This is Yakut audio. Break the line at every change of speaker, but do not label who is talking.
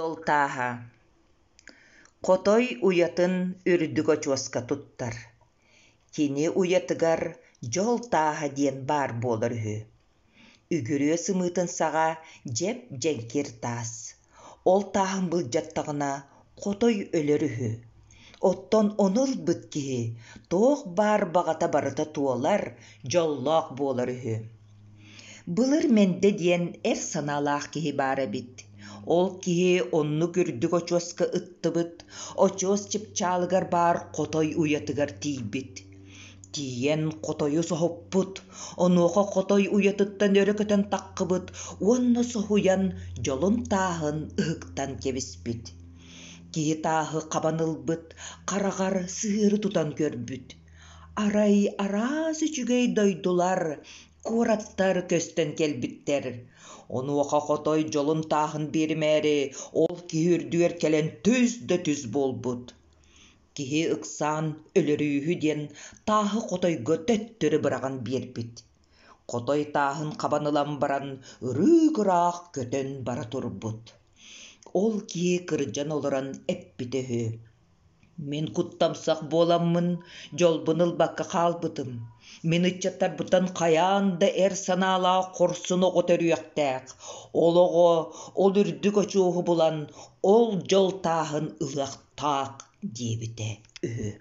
Дьол тааһа Хотой уйатын үрдүк очуоска туттар. Кини уйатыгар дьол тааһа диэн баар буолар үһү. Үгүрүө сымыытын саҕа дьэп-дьэҥкир таас. Ол тааһын былдьаттаҕына хотой өлөр үһү. Оттон ону ылбыт киһи туох баар баҕата барыта туолар, дьоллоох буолар үһү. Былыр Мэндэ диэн эр санаалаах киһи баар эбит. Ол киһи оннук үрдүк очуоска ыттыбыт, очуос чыпчаалыгар баар хотой уйатыгар тиийбит. Тиийэн хотойу соһуппут, онуоха хотой уйатыттан өрө көтөн таххыбыт уонна соһуйан дьолун тааһын ыһыктан кэбиспит. Киһи тааһы хабан ылбыт, хараҕар сыһыары тутан көрбүт. Арай араас үчүгэй дойдулар, куораттар көстөн кэлбиттэр. Онуоха хотой дьолун тааһын биэримээри, ол киһи үрдүгэр кэлэн түс да түс буолбут. Киһи ыксаан өлөрүүһү диэн тааһы хотойго төттөрү быраҕан биэрбит. Хотой тааһын хабан ылан баран ырыых-ыраах көтөн бара турбут. Ол киһи кырдьан олорон эппитэ үһү: Мин куттамсах буоламмын дьолбун ылбакка хаалбытым. Мин ыччаттарбыттан хайаан да эр санаалаах хорсун оҕо төрүөхтээх. Ол оҕо ол үрдүк очуоһу булан, ол дьол тааһын ылыахтаах диэбитэ үһү.